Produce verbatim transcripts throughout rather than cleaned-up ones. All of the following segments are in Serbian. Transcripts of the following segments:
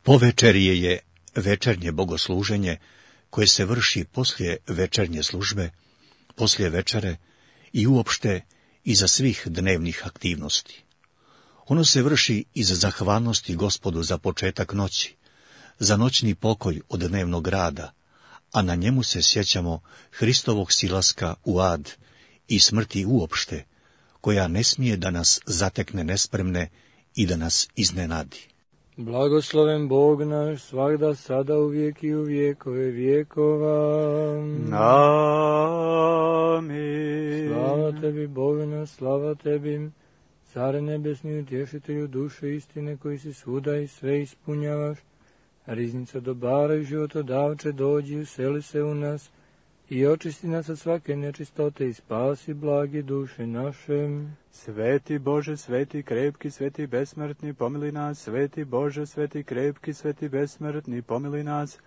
Povečerje je večernje bogosluženje koje se vrši poslije večernje službe, poslije večere i uopšte iza svih dnevnih aktivnosti. Ono se vrši iz zahvalnosti Gospodu za početak noći, za noćni pokoj od dnevnog rada, a na njemu se sjećamo Hristovog silaska u ad i smrti uopšte, koja ne smije da nas zatekne nespremne i da nas iznenadi. Blagosloven Bog naš, svagda, sada, uvijek i u vijekove vijekova. Amin. Slava tebi, Bože naš, slava tebi, Care nebesni, utješitelju duše istine, koji si svuda i sve ispunjavaš. Riznica dobara i životodavče, dođi, useli se u nas i očisti nas od svake nečistote i spasi blage duše naše. Sveti Bože, sveti krepki, sveti besmrtni, pomili nas. Sveti Bože, sveti krepki, sveti besmrtni, pomili nas.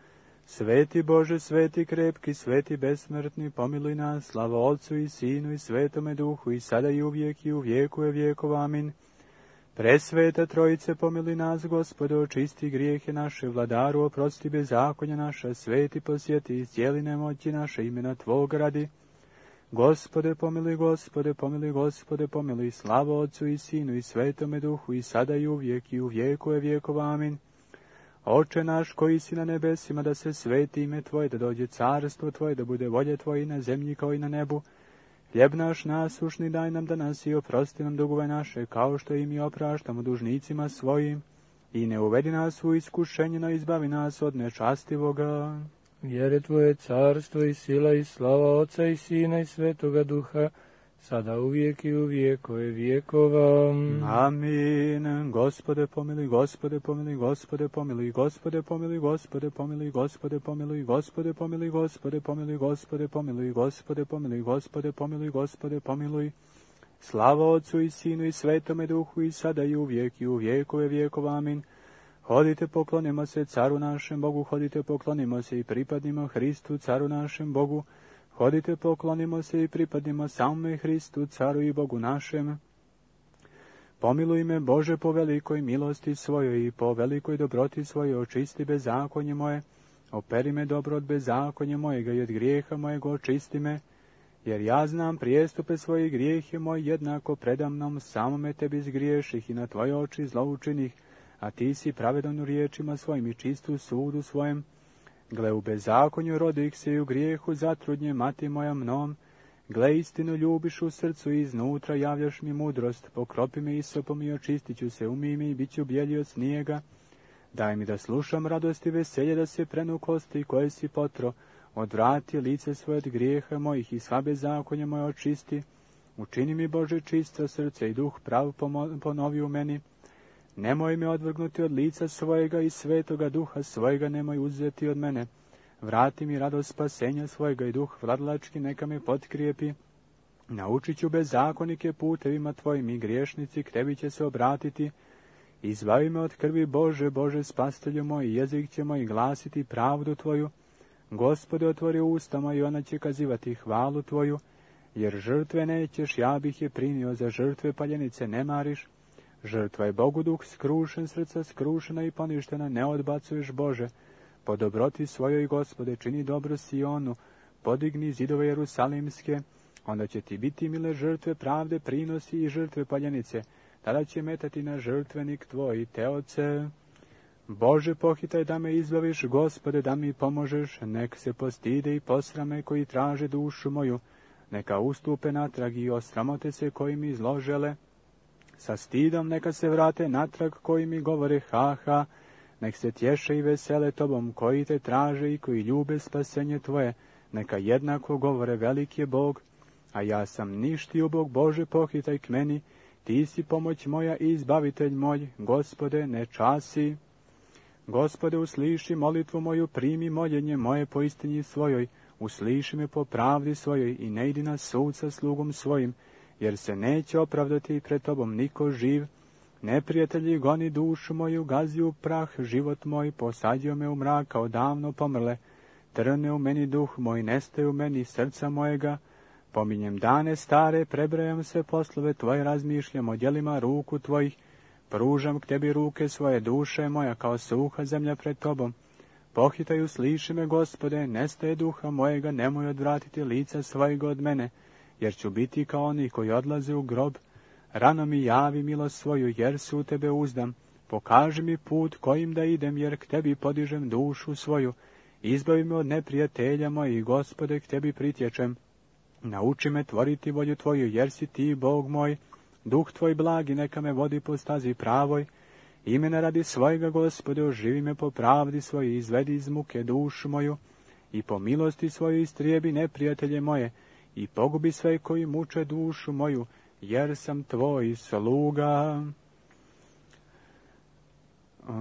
Sveti Bože, sveti krepki, sveti besmrtni, pomili nas. Slava Otcu i Sinu i Svetome Duhu, i sada i uvijek i u vijekove vijekova. Amin. Presveta Trojice, pomili nas, Gospode, očisti grijehe naše, vladaru, oprosti bezakonja naša, sveti posjeti, iscijeli nemoći naše, imena Tvog radi. Gospode, pomili, Gospode, pomili, Gospode, pomili, slava Otcu i Sinu i Svetome Duhu, i sada i uvijek i u vijekove vijekova. Amin. Oče naš koji si na nebesima, da se sveti ime Tvoje, da dođe carstvo Tvoje, da bude volja Tvoja i na zemlji kao i na nebu. Hljeb naš nasušni daj nam danas i oprosti nam dugove naše, kao što i mi opraštamo dužnicima svojim. I ne uvedi nas u iskušenje, no izbavi nas od nečastivoga. Jer je Tvoje carstvo i sila i slava Oca i Sina i Svetoga Duha, sada uvijek i u vijekove vijekova. Amin. Gospode pomili, Gospode pomili, Gospode pomili, Gospode pomili, Gospode pomili, Gospode pomili, Gospode pomili, Gospode pomili, Gospode pomili, Gospode pomili, Gospode pomili, Gospode pomili. Slava Otcu i Sinu i Svetome Duhu, i sada i uvijek i u vijekove vijekova. Amin. Hodite, poklonimo se caru našem Bogu, hodite, poklonimo se i pripadnimo Hristu, caru našem Bogu. Hodite, poklonimo se i pripadnimo samome Hristu, caru i Bogu našem. Pomiluj me, Bože, po velikoj milosti svojoj i po velikoj dobroti svojoj, očisti bezakonje moje. Operi me dobro od bezakonja mojega i od grijeha mojega očisti me. Jer ja znam prijestupe svoje, grijehe moje jednako predamnom, samome tebi zgriješih i na tvoje oči zloučinih, a ti si pravedan u riječima svojim i čistu sudu svojem. Gle, u bezakonju rodih se i u grijehu zatrudnje mati moja mnom. Gle, istinu ljubiš u srcu i iznutra javljaš mi mudrost. Pokropi me isopom i očistit ću se, umij mi i bit ću bijelji od snijega. Daj mi da slušam radost i veselje, da se prenu kosti koje si potro. Odvrati lice svoje od grijeha mojih i sva bezakonja moje očisti. Učini mi, Bože, čisto srce i duh prav ponovi u meni. Nemoj me odvrgnuti od lica svojega i Svetoga Duha svojega nemoj uzeti od mene. Vrati mi radost spasenja svojega i duh vladlački neka me potkrijepi. Naučit ću bezakonike putevima tvojim i griješnici k tebi će se obratiti. Izbavi me od krvi, Bože, Bože, spastelju moj, jezik će moj glasiti pravdu tvoju. Gospode, otvori ustama i ona će kazivati hvalu tvoju. Jer žrtve nećeš, ja bih je primio, za žrtve paljenice ne mariš. Žrtva je Bogu duh, skrušen srca, skrušena i poništena, ne odbacuješ, Bože. Po dobroti svojoj, Gospode, čini dobro Sionu, podigni zidove Jerusalimske, onda će ti biti mile žrtve pravde, prinosi i žrtve paljenice, tada će metati na žrtvenik tvoj, Teoce. Bože, pohitaj da me izbaviš, Gospode, da mi pomožeš, nek se postide i posrame koji traže dušu moju, neka ustupe natrag i osramote se koji mi zlo žele. Sa stidom neka se vrate natrag koji mi govore ha ha, nek se tješe i vesele tobom koji te traže i koji ljube spasenje tvoje, neka jednako govore veliki je Bog, a ja sam ništio Bog. Bože, pohitaj k meni, ti si pomoć moja i izbavitelj moj, Gospode, ne časi. Gospode, usliši molitvu moju, primi moljenje moje po istini svojoj, usliši me po pravdi svojoj i ne idi na sud sa slugom svojim, jer se neće opravdati pred tobom niko živ. Neprijatelji goni dušu moju, gazi u prah život moj, posadio me u mrak kao davno pomrle. Trne u meni duh moj, nestaje u meni srca mojega. Pominjem dane stare, prebrajam se poslove tvoje, razmišljam o djelima ruku tvojih. Pružam k tebi ruke svoje, duše moja kao suha zemlja pred tobom. Pohitaju, sliši me, Gospode, nestaje duha mojega, nemoj odvratiti lica svojega od mene, jer ću biti kao oni koji odlaze u grob. Rano mi javi milost svoju, jer se u tebe uzdam. Pokaži mi put kojim da idem, jer k tebi podižem dušu svoju. Izbavi me od neprijatelja mojih, Gospode, k tebi pritječem. Nauči me tvoriti volju tvoju, jer si ti, Bog moj. Duh tvoj blagi neka me vodi po stazi pravoj. Imena radi svojega, Gospode, oživi me po pravdi svojoj, izvedi iz muke dušu moju. I po milosti svojoj istrijebi neprijatelje moje, i pogubi sve koji muče dušu moju, jer sam tvoj sluga.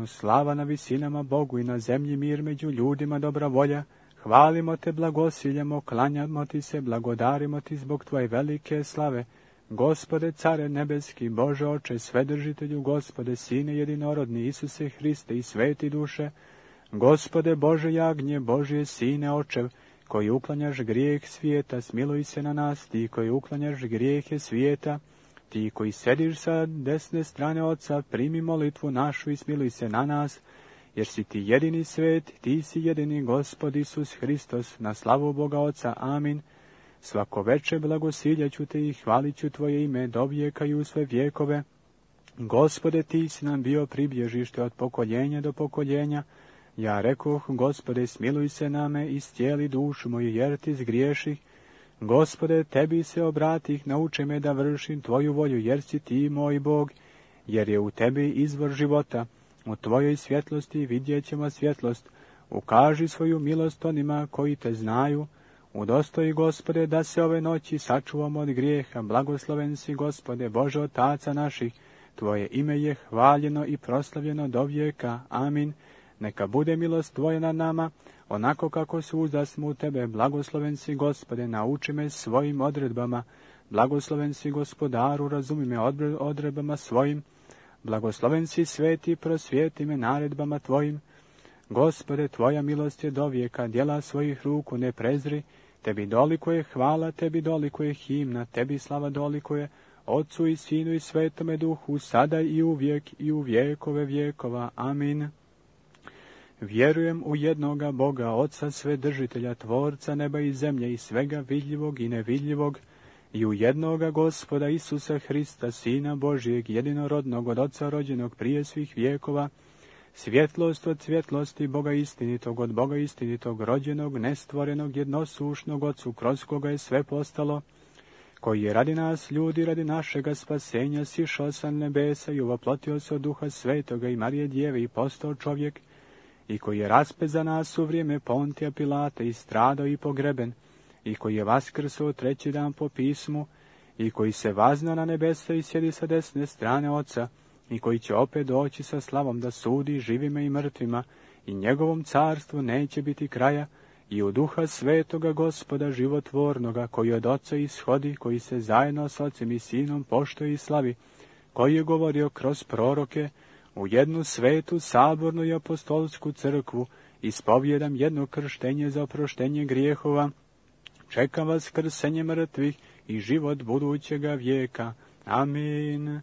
Slava na visinama Bogu i na zemlji mir među ljudima dobra volja. Hvalimo te, blagosiljamo, klanjamo ti se, blagodarimo ti zbog tvoje velike slave. Gospode, care nebeski, Bože oče, svedržitelju, Gospode, Sine jedinorodni, Isuse Hriste i sveti duše, Gospode Bože jagnje, Božje Sine očev, koji uklanjaš grijeh svijeta, smiluj se na nas, ti koji uklanjaš grijehe svijeta, ti koji sediš sa desne strane Oca, primi molitvu našu i smiluj se na nas, jer si ti jedini svet, ti si jedini Gospod Isus Hristos, na slavu Boga Oca. Amin. Svako veče blagosiljaću te i hvalit ću tvoje ime do vijeka i u sve vjekove. Gospode, ti si nam bio pribježište od pokoljenja do pokoljenja. Ja rekoh, Gospode, smiluj se name i stijeli dušu moju, jer ti zgriješih. Gospode, tebi se obratih, nauči me da vršim tvoju volju, jer si ti moj Bog, jer je u tebi izvor života. U tvojoj svjetlosti vidjet ćemo svjetlost. Ukaži svoju milost onima koji te znaju. Udostoji, Gospode, da se ove noći sačuvamo od grijeha. Blagosloven si, Gospode, Bože otaca naših. Tvoje ime je hvaljeno i proslavljeno do vijeka. Amin. Neka bude milost tvoja nad nama, onako kako se uzdasmo u tebe. Blagosloven si, Gospode, nauči me svojim odredbama. Blagosloven si, Gospodaru, razumi me odredbama svojim. Blagosloven si, sveti, prosvijeti me naredbama tvojim. Gospode, tvoja milost je do vijeka, djela svojih ruku ne prezri. Tebi dolikuje hvala, tebi dolikuje himna, tebi slava dolikuje Otcu i Sinu i Svetome Duhu, sada i uvijek i u vijekove vjekova. Amin. Vjerujem u jednoga Boga, Oca Svedržitelja, Tvorca neba i zemlje i svega vidljivog i nevidljivog, i u jednoga Gospoda Isusa Hrista, Sina Božijeg, jedinorodnog od Oca rođenog prije svih vjekova, svjetlost od svjetlosti Boga istinitog, od Boga istinitog, rođenog, nestvorenog, jednosušnog Otcu, kroz koga je sve postalo, koji je radi nas, ljudi, radi našega spasenja, sišao sa nebesa i uvoplotio se od Duha Svetoga i Marije Djeve i postao čovjek, i koji je raspet za nas u vrijeme Pontija Pilata i stradao i pogreben, i koji je vaskrsao treći dan po pismu, i koji se vazna na nebesa i sjedi sa desne strane Oca, i koji će opet doći sa slavom da sudi živima i mrtvima, i njegovom carstvu neće biti kraja, i u Duha Svetoga Gospoda životvornoga, koji od Oca ishodi, koji se zajedno s Ocem i Sinom poštuje i slavi, koji je govorio kroz proroke, u jednu svetu, sabornu i apostolsku crkvu, ispovjedam jedno krštenje za oproštenje grijehova, čekam vas krsenje mrtvih i život budućega vijeka. Amin.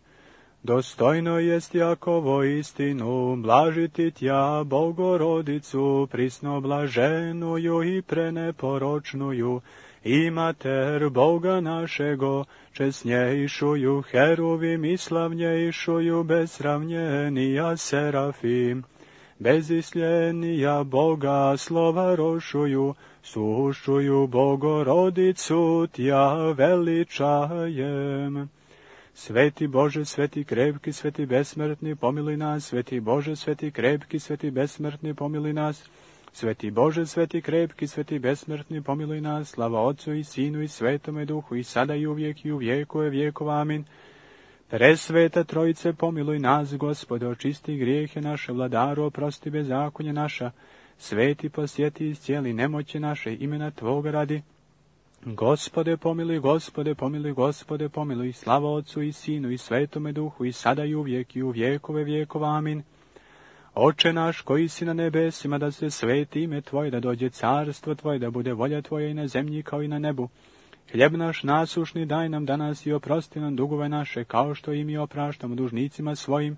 Dostojno jest Jakovo istinu, blažiti tja Bogorodicu, prisno blaženuju i preneporočnuju, i mater Boga našego, česnjejšuju heruvim i slavnjejšuju, besravnjenija serafim, bezisljenija Boga slova rošuju, sušuju Bogorodicu tja veličajem. Sveti Bože, sveti krepki, sveti besmrtni, pomiluj nas. Sveti Bože, sveti krepki, sveti besmrtni, pomiluj nas. Sveti Bože, sveti krepki, sveti besmrtni, pomiluj nas. Slava Otcu i Sinu i Svetome Duhu, i sada i uvijek i u vijekove vjekova. Amin. Presveta Trojice, pomiluj nas, Gospode, očisti grijehe naše, Vladaru, oprosti bezakonje naša. Sveti, posjeti iscijeli nemoći naše, imena Tvoga radi. Gospode, pomiluj, Gospode, pomiluj, Gospode, pomiluj, slava Otcu i Sinu i Svetome Duhu, i sada i uvijek i u vijekove vjekova. Amin. Oče naš, koji si na nebesima, da se sveti ime Tvoje, da dođe carstvo Tvoje, da bude volja Tvoja i na zemlji kao i na nebu. Hljeb naš nasušni daj nam danas i oprosti nam dugove naše, kao što i mi opraštamo dužnicima svojim,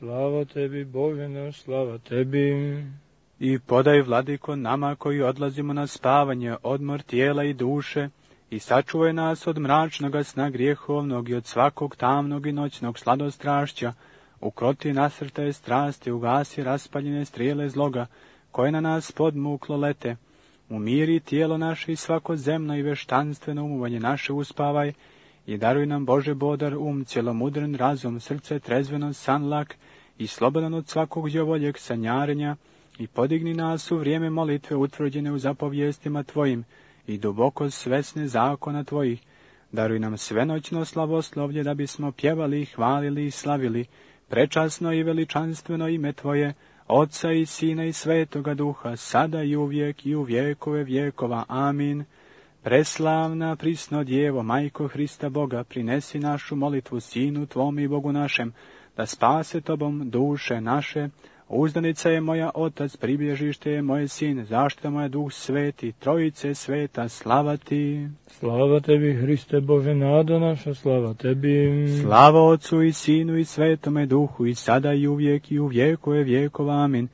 Slava tebi, Bože naš, slava tebi. I podaj, vladiko, nama koji odlazimo na spavanje, odmor tijela i duše, i sačuvaj nas od mračnoga sna grijehovnog i od svakog tamnog i noćnog sladostrašća, ukroti nasrtaje strasti, ugasi raspaljene strijele zloga, koje na nas podmuklo lete, umiri tijelo naše i svako zemno i veštanstveno umovanje naše uspavaj, i daruj nam, Bože, bodar um, cjelomudren razum, srce trezveno, san lak i slobodan od svakog djovoljeg sanjarenja, i podigni nas u vrijeme molitve utvrđene u zapovjestima Tvojim i duboko svesne zakona Tvojih. Daruj nam svenoćno slavoslovlje da bismo pjevali, hvalili i slavili prečasno i veličanstveno ime Tvoje, Otca i Sina i Svetoga Duha, sada i uvijek i u vjekove vjekova. Amin. Preslavna, prisno Djevo, Majko Hrista Boga, prinesi našu molitvu Sinu Tvom i Bogu našem, da spase Tobom duše naše. Uzdanica je moja Otac, pribježište je moje Sin, zaštita moja Duh Sveti, Trojice sveta, slava Ti. Slava tebi, Hriste Bože, nado naša, slava tebi. Slava Otcu i Sinu i Svetome Duhu, i sada i uvijek i u vjekove vjekova. Amin.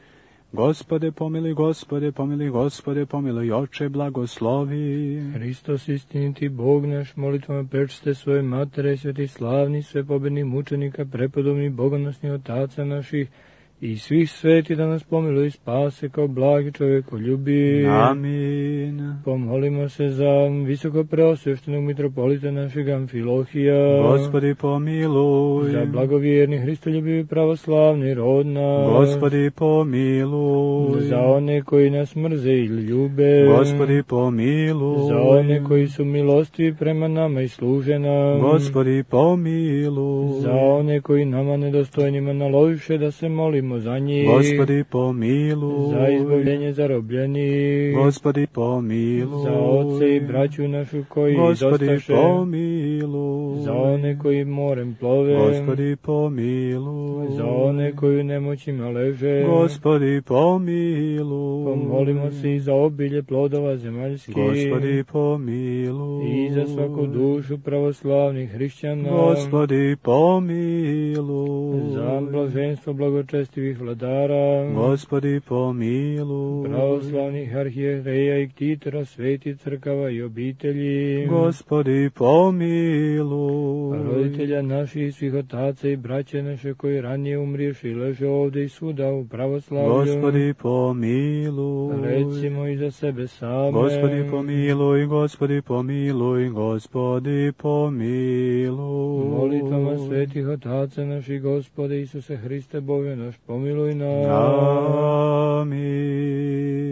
Gospode pomiluj, Gospode pomiluj, Gospode pomiluj, Oče blagoslovi. Hristos istiniti Bog naš, molitvama prečiste svoje matere, sveti slavni, sve pobednih mučenika, prepodobni, bogonosni otaca naših, i svih sveti da nas pomiluj i spase kao blagi čovjekoljubi. Amin. Pomolimo se za visoko preosvještenog mitropolita našeg Amfilohija. Gospodi pomiluj. Za blagovjerni, hristoljubivi, pravoslavni rod naš. Gospodi pomiluj. Za one koji nas mrze ili ljube. Gospodi pomiluj. Za one koji su milostivi prema nama i služe nam. Gospodi pomiluj. Za one koji nama nedostojnima naložiše da se molimo za njih. Gospodi pomiluj. Za izbavljenje zarobljenih. Gospodi pomiluj. Za oce i braću našu koji Gospodi dostaše. pomiluj. Za one koji morem plove. Gospodi pomiluj. Za one koji u nemoćima leže. Gospodi pomiluj. Pomolimo se i za obilje plodova zemaljskih. Gospodi pomiluj. I za svaku dušu pravoslavnih hrišćana. Gospodi pomiluj. Za blaženstvo blagočestivih vladara. Gospodi pomiluj. Pravoslavnih arhijereja i ktitora, sveti crkava i obitelji. Gospodi pomiluj. Roditelja naših i svih otaca i braće naše koji ranije umriješi i leže ovdje i svuda u pravoslavlju. Gospodi pomiluj. Recimo i za sebe same. Gospodi pomiluj, Gospodi pomiluj, Gospodi pomiluj. Molitvama svetih otaca naših, Gospode Isuse Hriste Bože naš, pomiluj nas. Amin.